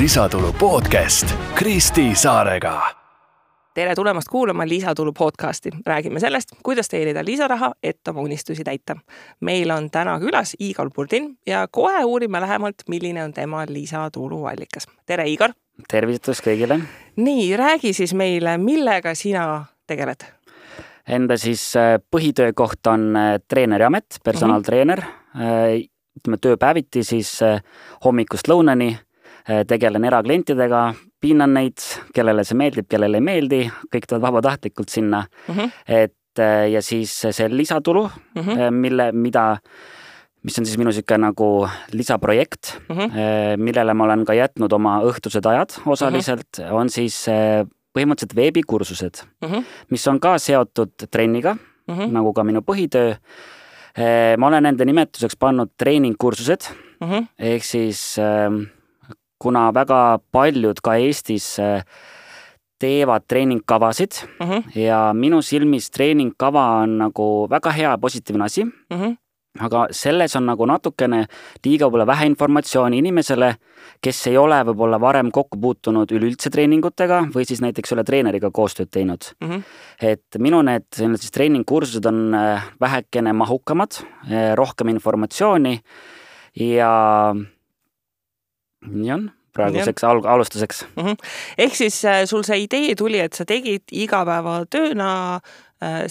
Lisatulu podcast Kristi Saarega. Tere tulemast kuulama Lisatulu podcasti. Räägime sellest, kuidas teenida lisaraha, et oma unistusi täita. Meil on täna külas Igor Burdin ja kohe uurime lähemalt, milline on tema lisatulu allikas. Tere, Igor! Tervitus kõigile! Nii, räägi siis meile, millega sina tegeled? Enda siis põhitöökoht on treeneri amet, personaaltreener. Tööpäeviti siis hommikust lõunani tegelen eraklientidega, pinnan neid, kellele see meeldib, kellele ei meeldi, kõik tulevad vabatahtlikult sinna. Ja siis see lisatulu, mis on siis minu siuke nagu lisaprojekt, millele ma olen ka jätnud oma õhtused ajad osaliselt, on siis põhimõtteliselt veebikursused, mis on ka seotud trenniga, nagu ka minu põhitöö. Ma olen enda nimetuseks pannud treeningkursused, ehk siis kuna väga paljud ka Eestis teevad treeningkavasid ja minu silmis treeningkava on nagu väga hea positiivne asi, aga selles on nagu natukene liiga võib-olla vähe informatsiooni inimesele, kes ei ole võib-olla varem kokku puutunud üleüldse treeningutega või siis näiteks üle treeneriga koostööd teinud. Et minu need siis treeningkursused on vähekene mahukamad, rohkem informatsiooni ja nii on praeguseks alustuseks. Ehk siis sul see idee tuli, et sa tegid igapäevatööna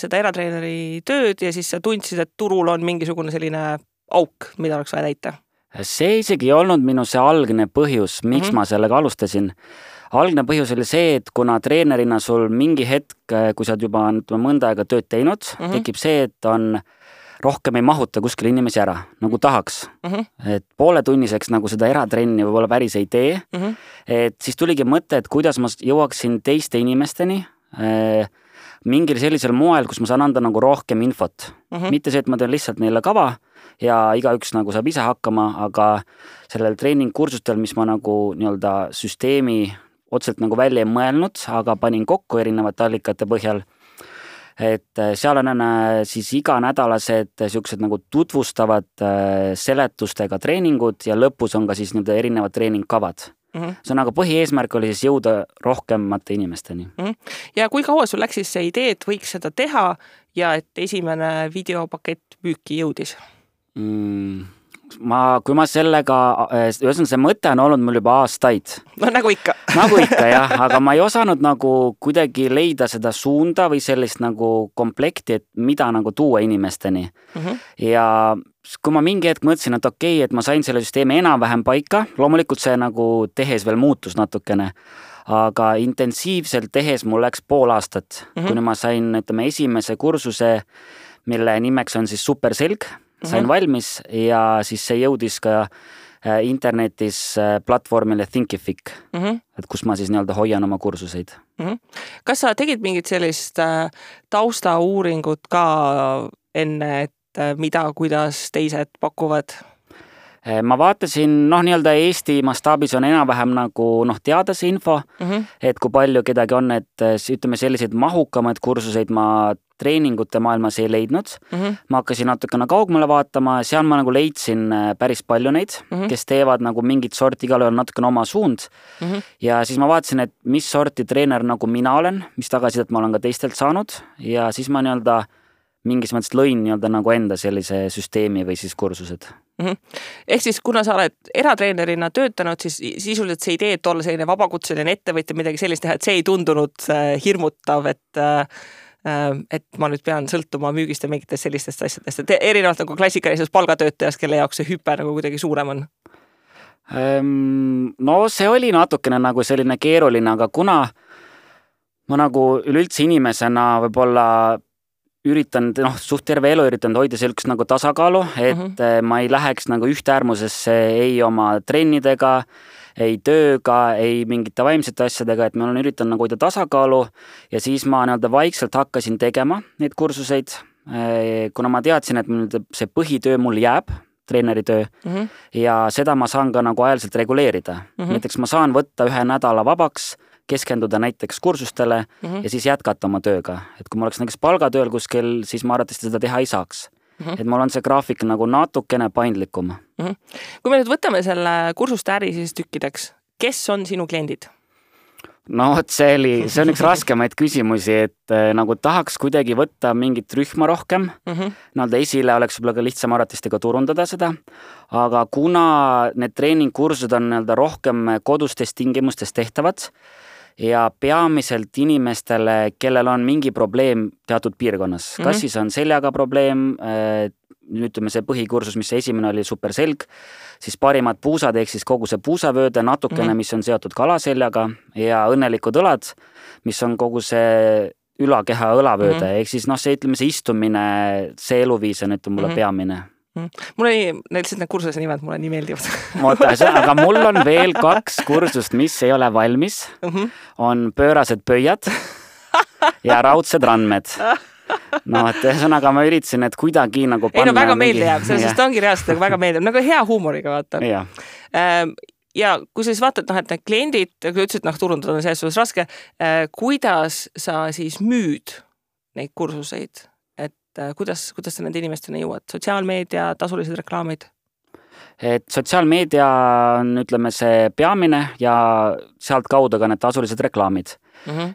seda eratreeneri tööd ja siis sa tundsid, et turul on mingisugune selline auk, mida oleks vaja täita? See isegi ei olnud minu see algne põhjus, miks ma sellega alustasin. Algne põhjus oli see, et kuna treenerina sul mingi hetk, kui sa oled juba mõnda aega tööd teinud, tekib see, et on rohkem ei mahuta kuskil inimesi ära, nagu tahaks. Et pooletunniseks nagu seda eratrenni võib-olla päris ei tee. Et siis tuligi mõte, et kuidas ma jõuaksin teiste inimesteni mingil sellisel moel, kus ma saan anda nagu rohkem infot. Mitte see, et ma teen lihtsalt neile kava ja igaüks nagu saab ise hakkama, aga sellel treeningkursustel, mis ma nagu nii-öelda süsteemi otseselt nagu välja ei mõelnud, aga panin kokku erinevate allikate põhjal. Et seal on siis iganädalased siuksed nagu tutvustavad seletustega treeningud ja lõpus on ka siis nii-öelda erinevad treeningkavad. See on aga põhieesmärk oli siis jõuda rohkemate inimesteni. Ja kui kaua sul läks siis see idee, et võiks seda teha ja et esimene videopakett müüki jõudis? Kui ma sellega, see mõte on olnud mul juba aastaid. No nagu ikka. Nagu ikka, jah, aga ma ei osanud nagu kuidagi leida seda suunda või sellist nagu komplekti, et mida nagu tuua inimesteni. Ja kui ma mingi hetk mõtlesin, et okei, et ma sain selle süsteemi enam-vähem paika, loomulikult see nagu tehes veel muutus natukene, aga intensiivselt tehes mul läks pool aastat, kuni ma sain esimese kursuse, mille nimeks on siis Superselg, sain valmis ja siis see jõudis ka internetis platvormile Thinkific, et kus ma siis nii-öelda hoian oma kursuseid. Kas sa tegid mingit sellist taustauuringut ka enne, et mida, kuidas teised pakuvad? Ma vaatasin, nii-öelda Eesti mastaabis on enam-vähem nagu teada see info, et kui palju kedagi on, et ütleme selliseid mahukamaid kursuseid ma treeningute maailmas ei leidnud. Ma hakkasin natukene kaugemale vaatama, seal ma nagu leidsin päris palju neid, kes teevad nagu mingit sorti, igal on natukene oma suund. Ja siis ma vaatasin, et mis sorti treener nagu mina olen, mis tagasisidet ma olen ka teistelt saanud ja siis ma nii-öelda mingis mõttes lõin nii-öelda nagu enda sellise süsteemi või siis kursused. Ehk siis kuna sa oled eratreenerina töötanud, siis sisuliselt see idee, et olla selline vabakutseline ettevõtja, midagi sellist teha, et see ei tundunud hirmutav, et ma nüüd pean sõltuma müügist ja mingitest sellistest asjadest, et erinevalt nagu klassikalisest palgatöötajast, kelle jaoks see hüpe nagu kuidagi suurem on? No see oli natukene nagu selline keeruline, aga kuna ma nagu üleüldse inimesena võib-olla üritan, suht terve elu üritan hoida sellist nagu tasakaalu, et ma ei läheks nagu ühte äärmusesse ei oma trennidega, ei tööga, ei mingite vaimsete asjadega, et ma olen üritan nagu hoida tasakaalu ja siis ma nii-öelda vaikselt hakkasin tegema neid kursuseid, kuna ma teadsin, et see põhitöö mul jääb, treeneritöö, ja seda ma saan ka nagu ajaliselt reguleerida. Näiteks ma saan võtta ühe nädala vabaks, keskenduda näiteks kursustele ja siis jätkata oma tööga. Et kui ma oleks näiteks palgatööl kuskil, siis ma arvatavasti seda teha ei saaks. Et mul on see graafik nagu natukene paindlikum. Kui me nüüd võtame selle kursuste äri siis tükkideks, kes on sinu kliendid? No see on üks raskemaid küsimusi, et nagu tahaks kuidagi võtta mingit rühma rohkem, nii-öelda esile oleks võib-olla ka lihtsam arvatistega turundada seda, aga kuna need treeningkursused on nii-öelda rohkem kodustes tingimustes tehtavad ja peamiselt inimestele, kellel on mingi probleem teatud piirkonnas, kas siis on seljaga probleem, ütleme see põhikursus, mis see esimene oli superselg, siis parimad puusad, ehk siis kogu see puusavööde natukene, mis on seotud kalaseljaga ja õnnelikud õlad, mis on kogu see ülakeha õlavööde, ehk siis see, ütleme see istumine, see eluviis on mulle peamine. Mul oli lihtsalt need kursuse nimed, mulle nii meeldivad. Aga mul on veel 2 kursust, mis ei ole valmis. On pöörased pöiad ja raudsed randmed. Et ühesõnaga ma üritasin, et kuidagi nagu panna... väga meelde jääb, sellest ongi reaalselt väga meeldib, nagu hea huumoriga vaata. Ja kui sa siis vaatad, et need kliendid, kui ütlesid, turundada on selles suhtes raske, kuidas sa siis müüd neid kursuseid? Kuidas sa nende inimestena jõuad? Sotsiaalmeedia, tasulised reklaamid? Et sotsiaalmeedia on, ütleme, see peamine ja sealt kaudu ka need tasulised reklaamid.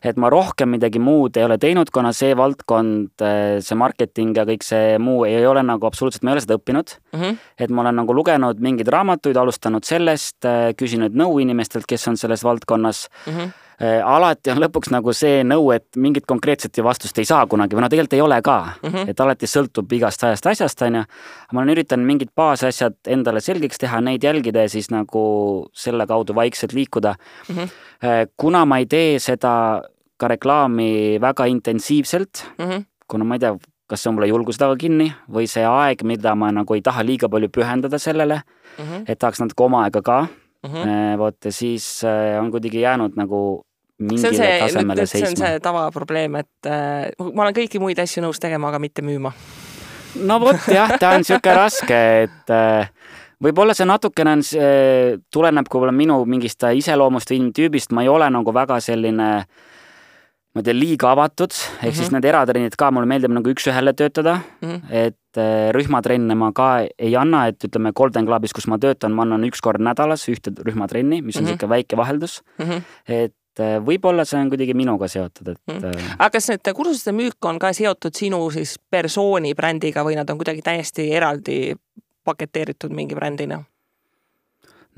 Et ma rohkem midagi muud ei ole teinud, kuna see valdkond, see marketing ja kõik see muu ei ole nagu absoluutselt, ma ei ole seda õppinud. Et ma olen nagu lugenud mingeid raamatuid, alustanud sellest, küsinud nõu inimestelt, kes on selles valdkonnas. Alati on lõpuks nagu see nõu, et mingit konkreetset vastust ei saa kunagi, või tegelikult ei ole ka, et alati sõltub igast asjast, on ju. Ma olen üritanud mingid baasasjad endale selgeks teha, neid jälgida ja siis nagu selle kaudu vaikselt liikuda. Kuna ma ei tee seda ka reklaami väga intensiivselt, kuna ma ei tea, kas see on mulle julgusega kinni või see aeg, mida ma nagu ei taha liiga palju pühendada sellele, et tahaks natuke oma aega ka, siis on kuidagi jäänud nagu mingile tasemele seisma. See on see tavaprobleem, et ma olen kõiki muid asju nõus tegema, aga mitte müüma. No jah, ta on siuke raske, et võib-olla see natukene tuleneb kui minu mingist iseloomust või inimtüübist, ma ei ole nagu väga selline liiga avatud, ehk siis need eratrennid ka, mulle meeldib nagu üks-ühele töötada, et rühmatrenne ma ka ei anna, et ütleme Golden Clubis, kus ma töötan, ma annan 1 kord nädalas ühte rühmatrenni, mis on siuke väike vaheldus, et võib-olla see on kuidagi minuga seotud. Aga kas need kursuste müük on ka seotud sinu siis persooni brändiga või nad on kuidagi täiesti eraldi paketeeritud mingi brändina?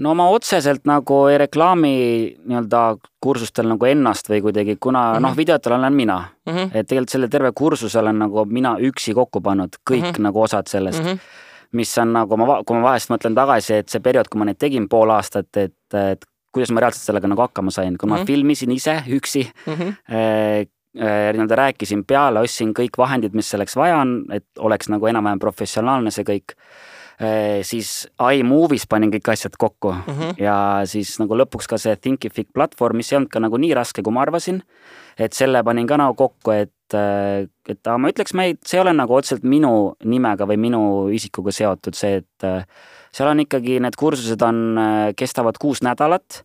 No ma otseselt nagu ei reklaami nii-öelda kursustel nagu ennast või kuidagi, kuna videotel olen mina. Et tegelikult selle terve kursus olen nagu mina üksi kokku pannud kõik nagu osad sellest, mis on nagu, kui ma vahest mõtlen tagasi, et see periood, kui ma neid tegin pool aastat, et kuidas ma reaalselt sellega nagu hakkama sain, kui ma filmisin ise üksi, nii-öelda rääkisin peale, ostsin kõik vahendid, mis selleks vaja on, et oleks nagu enam-vähem professionaalne see kõik, siis iMovies panin kõik asjad kokku ja siis nagu lõpuks ka see Thinkific platvorm, mis ei olnud ka nagu nii raske, kui ma arvasin, et selle panin ka nagu kokku, et ma ütleks, see ei ole nagu otseselt minu nimega või minu isikuga seotud see, et seal on ikkagi, need kursused kestavad 6 nädalat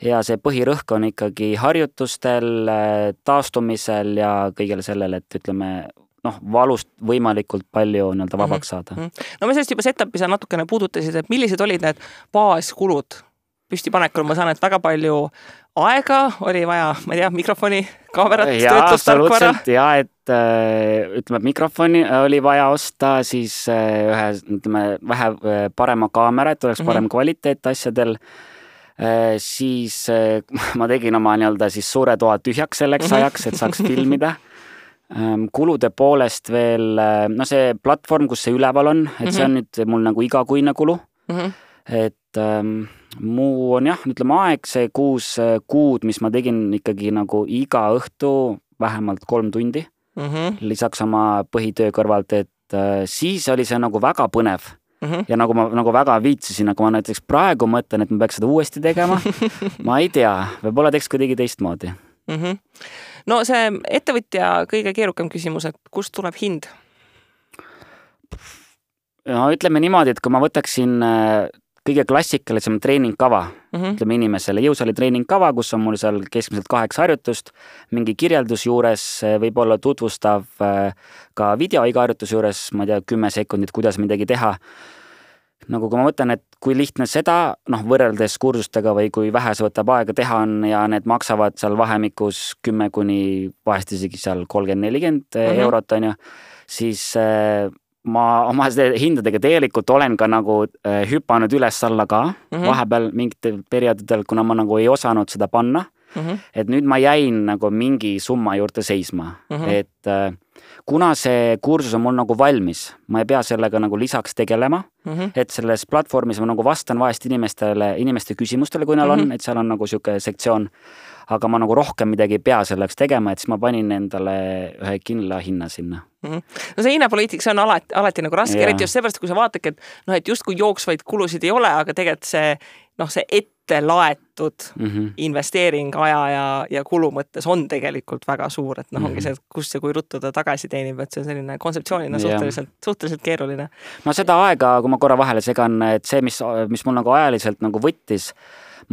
ja see põhirõhk on ikkagi harjutustel, taastumisel ja kõigele sellele, et ütleme, valust võimalikult palju nii-öelda vabaks saada. No me sellest juba setup'i sa natukene puudutasid, et millised olid need baaskulud püstipanekul? Ma saan, et väga palju aega oli vaja, ma ei tea, mikrofoni, kaamerat, töötlustarkvara. Ja, et ütleme, mikrofoni oli vaja osta, siis vähe parema kaamera, et oleks parem kvaliteet asjadel. Siis ma tegin oma nii-öelda siis suure toa tühjaks selleks ajaks, et saaks filmida. Kulude poolest veel, see platvorm, kus see üleval on, et see on nüüd mul nagu igakuine kulu, et muu on jah, ütleme aeg, see 6 kuud, mis ma tegin ikkagi nagu iga õhtu vähemalt 3 tundi, lisaks oma põhitöö kõrvalt, et siis oli see nagu väga põnev ja nagu ma nagu väga viitsisin, aga ma näiteks praegu mõtlen, et ma peaks seda uuesti tegema, ma ei tea, võib-olla teeks kuidagi teistmoodi. No see ettevõtja kõige keerukam küsimus, et kust tuleb hind? No ütleme niimoodi, et kui ma võtaksin kõige klassikalisem treeningkava, ütleme inimesele, jõusaali treeningkava, kus on mul seal keskmiselt 8 harjutust, mingi kirjeldus juures, võib-olla tutvustav ka video iga harjutus juures, ma ei tea, 10 sekundit, kuidas midagi teha. nagu kui ma mõtlen, et kui lihtne seda, võrreldes kursustega või kui vähe see võtab aega teha on ja need maksavad seal vahemikus 10 kuni vahest isegi seal 30-40 eurot on ju, siis ma oma hindadega tegelikult olen ka nagu hüpanud üles-alla ka vahepeal mingitel perioodidel, kuna ma nagu ei osanud seda panna. Et nüüd ma jäin nagu mingi summa juurde seisma, et kuna see kursus on mul nagu valmis, ma ei pea sellega nagu lisaks tegelema, et selles platvormis ma nagu vastan vahest inimeste küsimustele, kui neil on, et seal on nagu siuke sektsioon, aga ma nagu rohkem midagi ei pea selleks tegema, et siis ma panin endale ühe kindla hinna sinna. No see hinnapoliitik, see on alati nagu raske, eriti just seepärast, kui sa vaatadki, et just kui jooksvaid kulusid ei ole, aga tegelikult see ette laetud investeering aja ja kulu mõttes on tegelikult väga suur, et ongi see, kus ja kui ruttu ta tagasi teenib, et see on selline kontseptsioonina suhteliselt keeruline. No seda aega, kui ma korra vahele segan, et see, mis mul nagu ajaliselt nagu võttis,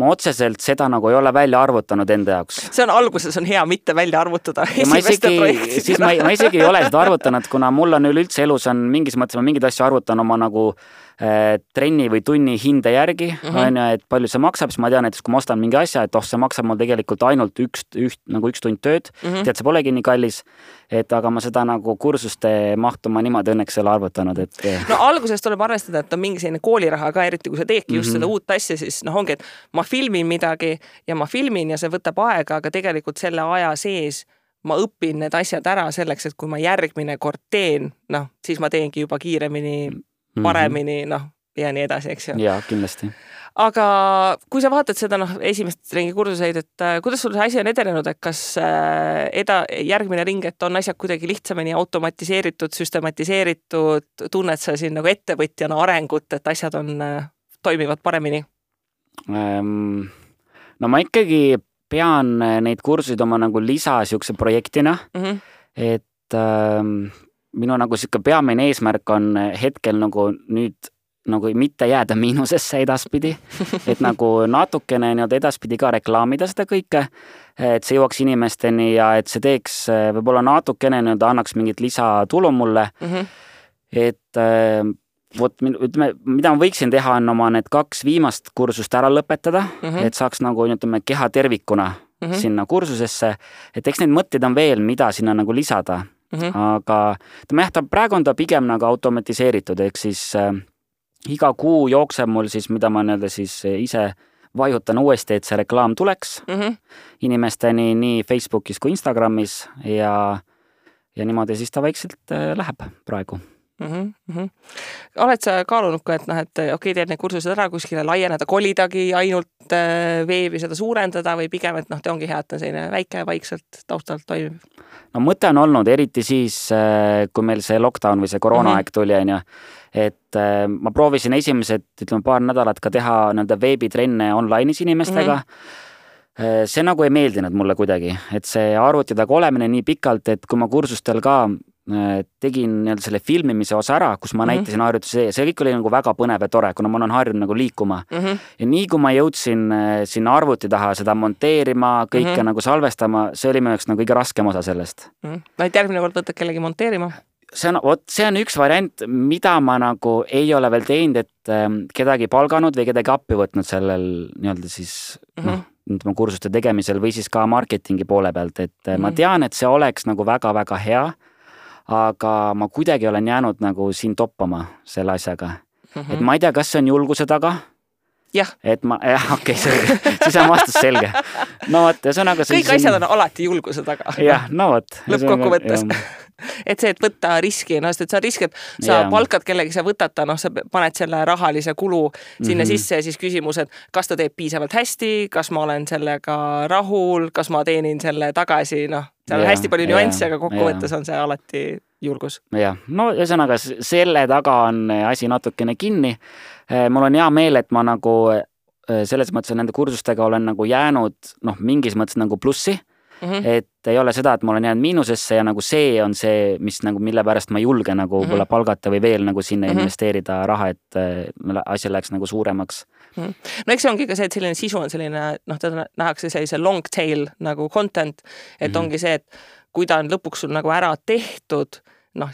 ma otseselt seda nagu ei ole välja arvutanud enda jaoks. See on alguses on hea mitte välja arvutada esimeste projektidena. Ma isegi ei ole seda arvutanud, kuna mul on üleüldse elus on mingis mõttes, ma mingid asju arvutan oma nagu trenni või tunni hinde järgi, on ju, et palju see maksab, siis ma tean, et kui ma ostan mingi asja, et see maksab mul tegelikult ainult üks tund tööd, tead, see polegi nii kallis, et aga ma seda nagu kursuste mahtu ma niimoodi õnneks ei ole arvutanud, et no alguses tuleb arvestada, et on mingi selline kooliraha ka, eriti kui sa teedki just seda uut asja, siis ongi, et ma filmin midagi ja ma filmin ja see võtab aega, aga tegelikult selle aja sees ma õpin need asjad ära selleks, et kui ma järgmine kord teen, siis ma teengi juba kiiremini paremini, ja nii edasi, eks ju. Jaa, kindlasti. Aga kui sa vaatad seda esimest ringi kursuseid, et kuidas sul see asi on edenenud, et kas järgmine ring, et on asjad kuidagi lihtsamini automatiseeritud, süstematiseeritud, tunned sa siin nagu ettevõtjana arengut, et asjad toimivad paremini? No ma ikkagi pean neid kursusid oma nagu lisasiukse projektina, et minu nagu siuke peamine eesmärk on hetkel nagu nüüd nagu mitte jääda miinusesse edaspidi, et nagu natukene edaspidi ka reklaamida seda kõike, et see jõuaks inimesteni ja et see teeks võib-olla natukene annaks mingit lisatulu mulle, et ütleme, mida ma võiksin teha on oma need 2 viimast kursust ära lõpetada, et saaks nagu keha tervikuna sinna kursusesse, et eks neid mõtteid on veel, mida sinna nagu lisada. Aga praegu on ta pigem nagu automatiseeritud, ehk siis iga kuu jookseb mul siis, mida ma siis ise vajutan uuesti, et see reklaam tuleks inimesteni nii Facebookis kui Instagramis ja niimoodi siis ta vaikselt läheb praegu. Oled sa kaalunud ka, et okei, teed need kursused ära kuskile laieneda, kolidagi ainult veebi seda suurendada või pigem, et te ongi hea, et on selline väike vaikselt taustalt toimib? No mõte on olnud, eriti siis, kui meil see lockdown või see koroonaaeg tuli, et ma proovisin esimesed, paar nädalat ka teha veebitrenne online'is inimestega. See nagu ei meeldinud mulle kuidagi, et see arvuti taga olemine nii pikalt, et kui ma kursustel ka tegin selle filmimise osa ära, kus ma näitasin harjutusi, see kõik oli nagu väga põnev ja tore, kuna ma olen harjunud nagu liikuma. Ja nii kui ma jõudsin sinna arvuti taha seda monteerima, kõike nagu salvestama, see oli minu jaoks nagu kõige raskem osa sellest. Järgmine kord võtad kellegi monteerima? See on üks variant, mida ma nagu ei ole veel teinud, et kedagi palganud või kedagi appi võtnud sellel siis kursuste tegemisel või siis ka marketingi poole pealt, et ma tean, et see oleks nagu väga-väga hea, aga ma kuidagi olen jäänud nagu siin toppama selle asjaga. Et ma ei tea, kas see on julguse taga. Jah. Et okei, selge. Siis on vastus selge. No võt, ja see on aga... Kõik asjad on alati julguse taga. Jah, no võt. Lõppkokkuvõttes. Et see, et võtta riski, sest et sa risk, et sa palkad kellegi, sa võtad ta, sa paned selle rahalise kulu sinna sisse ja siis küsimus, et kas ta teeb piisavalt hästi, kas ma olen sellega rahul, kas ma teenin selle tagasi, seal on hästi palju nüansse, aga kokkuvõttes on see alati julgus. Jah, no ühesõnaga selle taga on asi natukene kinni. Mul on hea meel, et ma nagu selles mõttes nende kursustega olen nagu jäänud mingis mõttes nagu plussi, et ei ole seda, et ma olen jäänud miinusesse ja nagu see on see, mis nagu mille pärast ma ei julge nagu võib-olla palgata või veel nagu sinna investeerida raha, et asja läheks nagu suuremaks. No eks see ongi ka see, et selline sisu on selline, teda nähakse sellise long tail nagu content, et ongi see, et kui ta on lõpuks sul nagu ära tehtud,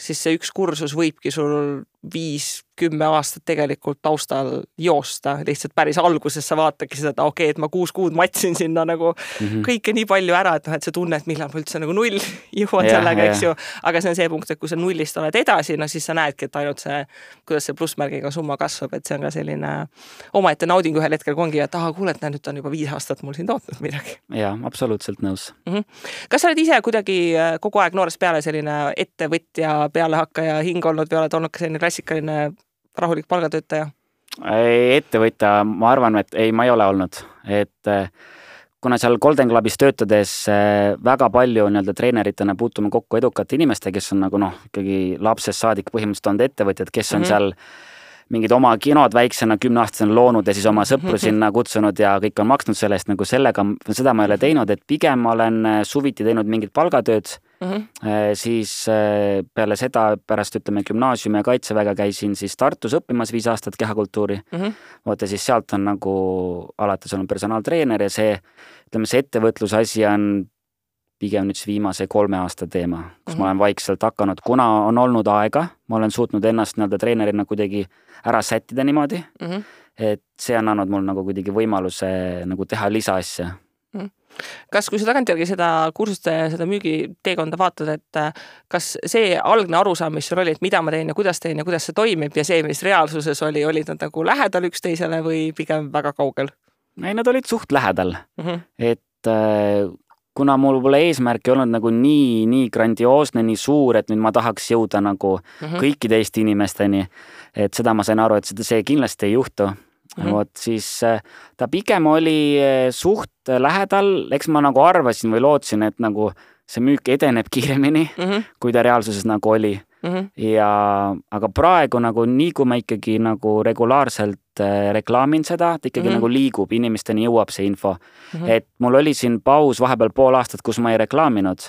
siis see üks kursus võibki sul 5-10 aastat tegelikult taustal joosta, lihtsalt päris alguses sa vaatagi seda, okei, et ma 6 kuud matsin sinna nagu kõike nii palju ära, et et see tunne, et millal ma üldse nagu null jõuan sellega, eks ju, aga see on see punkt, et kui sa nullist oled edasi, no siis sa näedki, et ainult see, kuidas see plussmärgiga summa kasvab, et see on ka selline omaette nauding ühel hetkel, kui ongi, et kuule, et nüüd on juba 5 aastat mul siin tootnud midagi. Jaa, absoluutselt nõus. Kas sa oled ise kuidagi kogu aeg noorest peale selline ettevõtja, pealehakkaja hing olnud või oled olnud ka selline klassikaline rahulik palgatöötaja? Ettevõtja, ma arvan, et ei, ma ei ole olnud. Et kuna seal Golden Clubis töötades väga palju treeneritena puutume kokku edukate inimeste, kes on nagu ikkagi lapsest saadik põhimõtteliselt olnud ettevõtjad, kes on seal mingid oma kinod väiksena 10-aastasena loonud ja siis oma sõpru sinna kutsunud ja kõik on maksnud sellest, nagu sellega, seda ma ei ole teinud, et pigem olen suviti teinud mingid palgatööd, siis peale seda, pärast gümnaasiumi ja kaitseväega käisin siis Tartus õppimas 5 aastat kehakultuuri. Vaata, siis sealt on nagu alates olnud personaaltreener ja see ettevõtluse asi on pigem nüüd viimase 3 aasta teema, kus ma olen vaikselt hakanud, kuna on olnud aega, ma olen suutnud ennast treenerina kuidagi ära sättida niimoodi, et see on andnud mul nagu kuidagi võimaluse nagu teha lisaasja. Kas kui sa tagantjärgi seda kursuste ja seda müügiteekonda vaatad, et kas see algne arusaam, mis sul oli, et mida ma teen ja kuidas see toimib ja see, mis reaalsuses olid nad nagu lähedal üksteisele või pigem väga kaugel? Ei, nad olid suht lähedal, et kuna mul pole eesmärki olnud nagu nii grandioosne, nii suur, et nüüd ma tahaks jõuda nagu kõikide Eesti inimesteni, et seda ma sain aru, et see kindlasti ei juhtu. Vot siis ta pigem oli suht lähedal, eks ma nagu arvasin või lootsin, et nagu see müük edeneb kiiremini, kui ta reaalsuses nagu oli. Aga praegu nagu nii, kui ma ikkagi nagu regulaarselt reklaamin seda, ta ikkagi nagu liigub, inimesteni jõuab see info. Et mul oli siin paus vahepeal pool aastat, kus ma ei reklaaminud,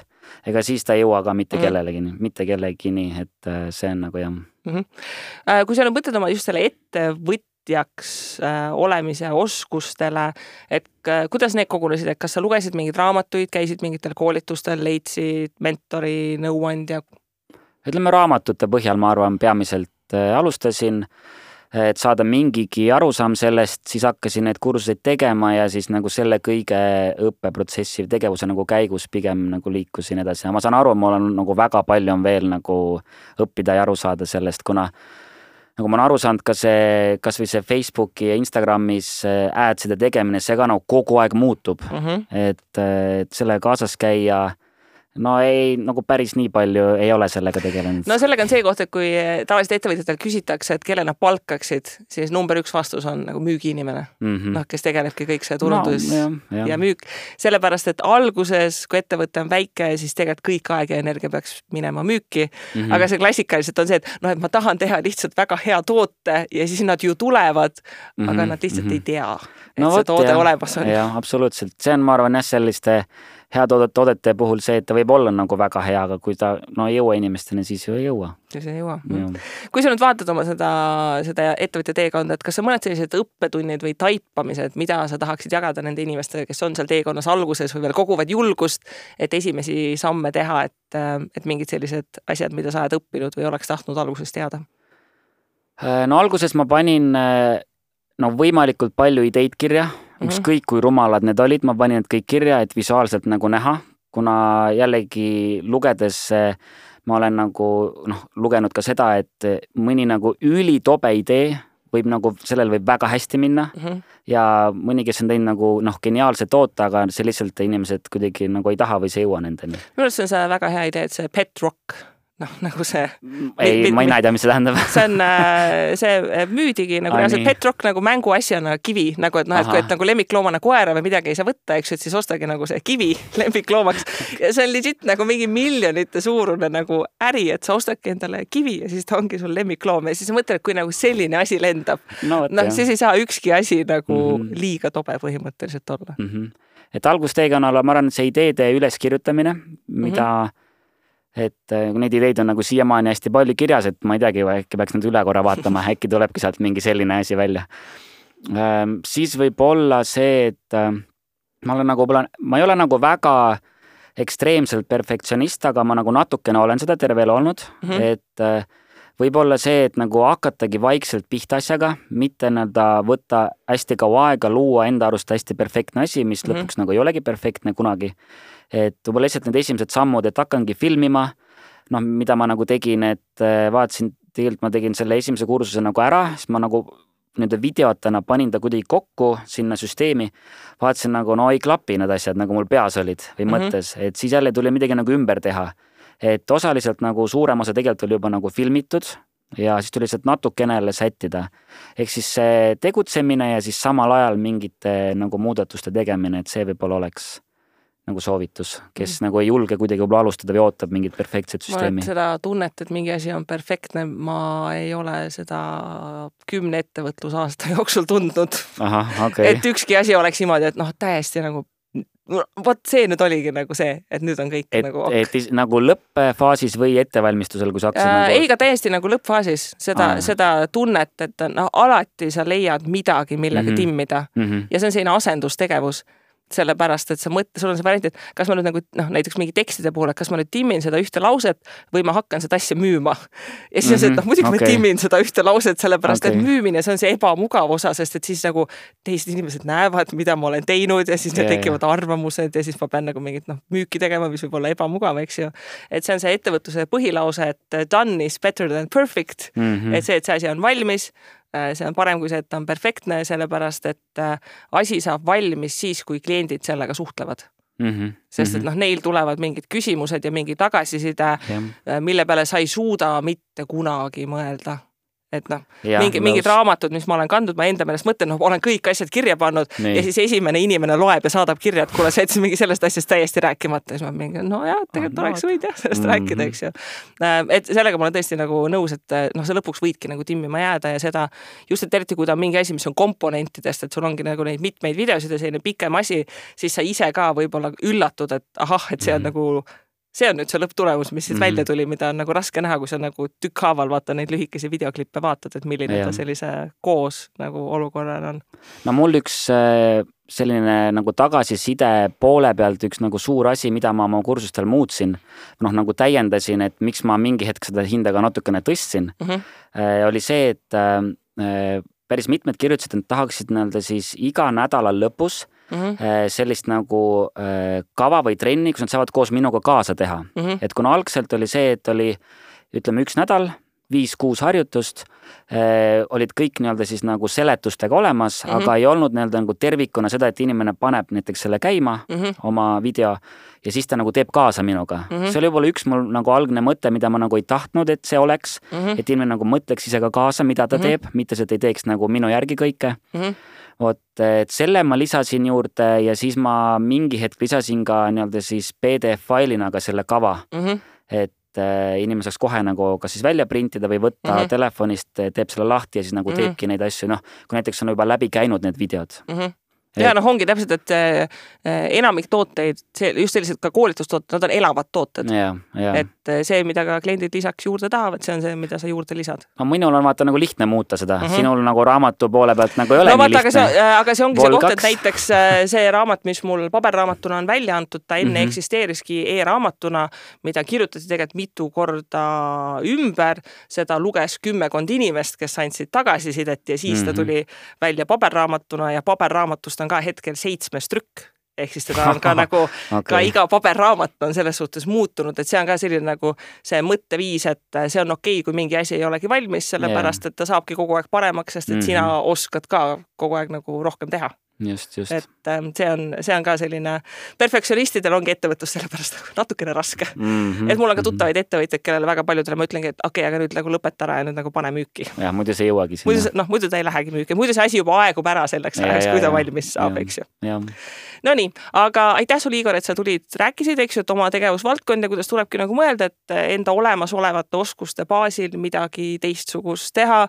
ega siis ta ei jõua ka mitte kellegini, et see on nagu jah. Kui sa mõtled oma just selle ettevõtjaks olemise oskustele, et kuidas need kogunesid, et kas sa lugesid mingeid raamatuid, käisid mingitel koolitustel, leidsid mentori, nõuandja? Ütleme raamatute põhjal, ma arvan, peamiselt alustasin, et saada mingigi arusaam sellest, siis hakkasin need kursuseid tegema ja siis nagu selle kõige õppeprotsessi tegevuse nagu käigus pigem nagu liikusin edasi. Ma saan aru, mul on nagu väga palju on veel nagu õppida ja aru saada sellest, kuna nagu ma olen aru saanud ka see, kas või see Facebooki ja Instagramis adside tegemine, see ka nagu kogu aeg muutub, et selle kaasas käia no ei, nagu päris nii palju ei ole sellega tegelenud. No sellega on see koht, et kui tavaliselt ettevõtjatel küsitakse, et kelle nad palkaksid, siis number 1 vastus on nagu müügiinimene, kes tegelebki kõik see turundus ja müük. Sellepärast, et alguses, kui ettevõte on väike, siis tegelikult kõik aeg ja energia peaks minema müüki, aga see klassikaliselt on see, et ma tahan teha lihtsalt väga hea toote ja siis nad ju tulevad, aga nad lihtsalt ei tea, et see toode olemas on. Jah, absoluutselt. See on, ma arvan, selliste hea toodete puhul see, et ta võib olla nagu väga hea, aga kui ta ei jõua inimesteni, siis ju ei jõua. Siis ei jõua. Kui sa nüüd vaatad oma seda ettevõtja teekonda, et kas sa mõned sellised õppetunnid või taipamised, mida sa tahaksid jagada nende inimestele, kes on seal teekonnas alguses või veel koguvad julgust, et esimesi samme teha, et mingid sellised asjad, mida sa oled õppinud või oleks tahtnud alguses teada? No alguses ma panin võimalikult palju ideid kirja, ükskõik kui rumalad need olid, ma panin need kõik kirja, et visuaalselt nagu näha, kuna jällegi lugedes ma olen nagu lugenud ka seda, et mõni nagu ülitobe idee võib nagu, sellel võib väga hästi minna ja mõni, kes on teinud nagu geniaalse toote, aga see lihtsalt inimesed kuidagi nagu ei taha või see ei jõua nendeni. Minu arust on see väga hea idee, et see pet rock, nagu see... Ei, ma ei näida, mis see tähendab. See müüdigi nagu reaalselt pet rock nagu mänguasjana kivi, nagu et kui et nagu lemmikloomana koera või midagi ei saa võtta, eks, et siis ostagi nagu see kivi lemmikloomaks. Ja see on legit nagu mingi miljonite suurune nagu äri, et sa ostadki endale kivi ja siis ta ongi sul lemmikloom ja siis mõtled, et kui nagu selline asi lendab, siis ei saa ükski asi nagu liiga tobe põhimõtteliselt olla. Et algusteekonnal ma arvan, see ideede üleskirjutamine, mida et neid ideid on nagu siiamaani hästi palju kirjas, et ma ei teagi, äkki peaks need üle korra vaatama, äkki tulebki sealt mingi selline asi välja. Siis võib olla see, et ma ei ole nagu väga ekstreemselt perfektsionist, aga ma nagu natukene olen seda terve elu olnud, et võib-olla see, et nagu hakatagi vaikselt pihta asjaga, mitte võtta hästi kaua aega, luua enda arust hästi perfektne asi, mis lõpuks nagu ei olegi perfektne kunagi. Et võib-olla lihtsalt need esimesed sammud, et hakkangi filmima, mida ma nagu tegin, et vaatasin, tegelikult ma tegin selle esimese kursuse nagu ära, siis ma nagu nende videotena panin ta kuidagi kokku sinna süsteemi, vaatasin nagu, ei klapi need asjad, nagu mul peas olid või mõttes, et siis jälle tuli midagi nagu ümber teha. Et osaliselt nagu suurem osa tegelikult oli juba nagu filmitud ja siis tuli lihtsalt natukenele sättida. Ehk siis see tegutsemine ja siis samal ajal mingite nagu muudatuste tegemine, et see võib-olla oleks nagu soovitus, kes nagu ei julge kuidagi võib-olla alustada või ootab mingit perfektset süsteemi. Ma seda tunnet, et mingi asi on perfektne, ma ei ole seda 10 ettevõtlusaasta jooksul tundnud. Aha, okay. Et ükski asi oleks niimoodi, et täiesti nagu vot see nüüd oligi nagu see, et nüüd on kõik nagu et nagu lõppfaasis või ettevalmistusel, kui sa hakkasid nagu... Ei, ka täiesti nagu lõppfaasis seda tunnet, et alati sa leiad midagi, millega timmida. Ja see on selline asendustegevus. Sellepärast, et sul on see variant, et kas ma nüüd nagu, näiteks mingi tekstide puhul, et kas ma nüüd timmin seda ühte lauset või ma hakkan seda asja müüma. Ja siis on see, et muidugi ma timmin seda ühte lauset, sellepärast, et müümine, see on see ebamugav osa, sest et siis nagu teised inimesed näevad, mida ma olen teinud ja siis need tekivad arvamused ja siis ma pean nagu mingit müüki tegema, mis võib olla ebamugav, eks ju. Et see on see ettevõtluse põhilause, et done is better than perfect. Et see asi on valmis. See on parem kui see, et ta on perfektne, sellepärast, et asi saab valmis siis, kui kliendid sellega suhtlevad. Sest et neil tulevad mingid küsimused ja mingi tagasiside, mille peale sa ei suuda mitte kunagi mõelda. Et mingid raamatud, mis ma olen kandnud, ma enda meelest mõtlen, olen kõik asjad kirja pannud ja siis esimene inimene loeb ja saadab kirja, et kuule, sa jätsid mingi sellest asjast täiesti rääkimata. Ja siis ma mingi, tegelikult oleks võid sellest rääkida, eks ju. Et sellega ma olen tõesti nagu nõus, et sa lõpuks võidki nagu timmima jääda ja seda just, et eriti kui ta on mingi asi, mis on komponentidest, et sul ongi nagu neid mitmeid videosid ja selline pikem asi, siis sa ise ka võib-olla üllatud, et et see on nagu see on nüüd see lõpptulemus, mis siit välja tuli, mida on nagu raske näha, kui sa nagu tükkhaaval vaata neid lühikesi videoklippe vaatad, et milline ta sellise koos nagu olukorral on. Mul üks selline nagu tagasiside poole pealt üks nagu suur asi, mida ma oma kursustel muutsin, nagu täiendasin, et miks ma mingi hetk seda hinda ka natukene tõstsin, oli see, et päris mitmed kirjutasid, et tahaksid siis iga nädala lõpus sellist nagu kava või trenni, kus nad saavad koos minuga kaasa teha. Et kuna algselt oli see, et oli, ütleme, 1 nädal, 5-6 harjutust, olid kõik siis nagu seletustega olemas, aga ei olnud nagu tervikuna seda, et inimene paneb näiteks selle käima, oma video, ja siis ta nagu teeb kaasa minuga. See oli võib-olla üks mul nagu algne mõte, mida ma nagu ei tahtnud, et see oleks, et inimene nagu mõtleks ise ka kaasa, mida ta teeb, mitte see, et ei teeks nagu minu järgi kõike. Et selle ma lisasin juurde ja siis ma mingi hetk lisasin ka siis PDF-failina ka selle kava, et inimene saaks kohe nagu kas siis välja printida või võtta telefonist, teeb selle lahti ja siis nagu teebki neid asju, kui näiteks on juba läbi käinud need videod. Ja ongi täpselt, et enamik tooteid, just sellised ka koolitustooted, nad on elavad tooted. Et see, mida ka kliendid lisaks juurde tahavad, see on see, mida sa juurde lisad. Minul on vaata nagu lihtne muuta seda. Sinul nagu raamatu poole pealt nagu ei ole nii lihtne. Aga see ongi see koht, et näiteks see raamat, mis mul paberraamatuna on välja antud, ta enne eksisteeriski e-raamatuna, mida kirjutati tegelikult mitu korda ümber, seda luges 10 inimest, kes andsid tagasisidet ja siis ta tuli välja paberraamatuna ja paberraamatust on ka hetkel 7 trükk. Ehk siis teda on ka nagu, ka iga paberraamat on selles suhtes muutunud, et see on ka selline nagu see mõtteviis, et see on okei, kui mingi asi ei olegi valmis, sellepärast, et ta saabki kogu aeg paremaks, sest et sina oskad ka kogu aeg nagu rohkem teha. Just. Et see on ka selline, perfektsionistidel ongi ettevõtlus sellepärast natukene raske. Et mul on ka tuttavaid ettevõtjaid, kellele väga paljudele ma ütlengi, et okei, aga nüüd nagu lõpeta ära ja nüüd nagu pane müüki. Ja, muidu see jõuagi sinna. Muidu ta ei lähegi müüki. Muidu see asi juba aegub ära selleks ajaks, kui ta valmis saab, eks ju. No nii, aga aitäh sul, Igor, et sa tulid, rääkisid, eks ju, et oma tegevusvaldkond ja kuidas tulebki nagu mõelda, et enda olemasolevate oskuste baasil midagi teistsugust teha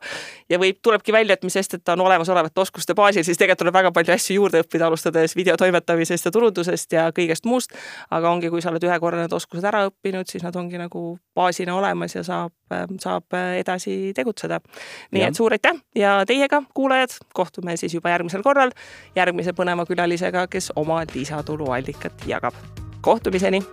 ja tulebki välja, et mis sest, et ta on olemasolevate oskuste baasil, siis tegelikult tuleb väga palju asju juurde õppida, alustades videotoimetamisest ja turundusest ja kõigest muust, aga ongi, kui sa oled ühe korra need oskused ära õppinud, siis nad ongi nagu baasina olemas ja saab edasi tegutseda. Nii et suur aitäh ja teiega, kuulajad, kohtume siis juba järgmisel korral järgmise põneva külalisega, kes oma lisatuluallikat jagab. Kohtumiseni!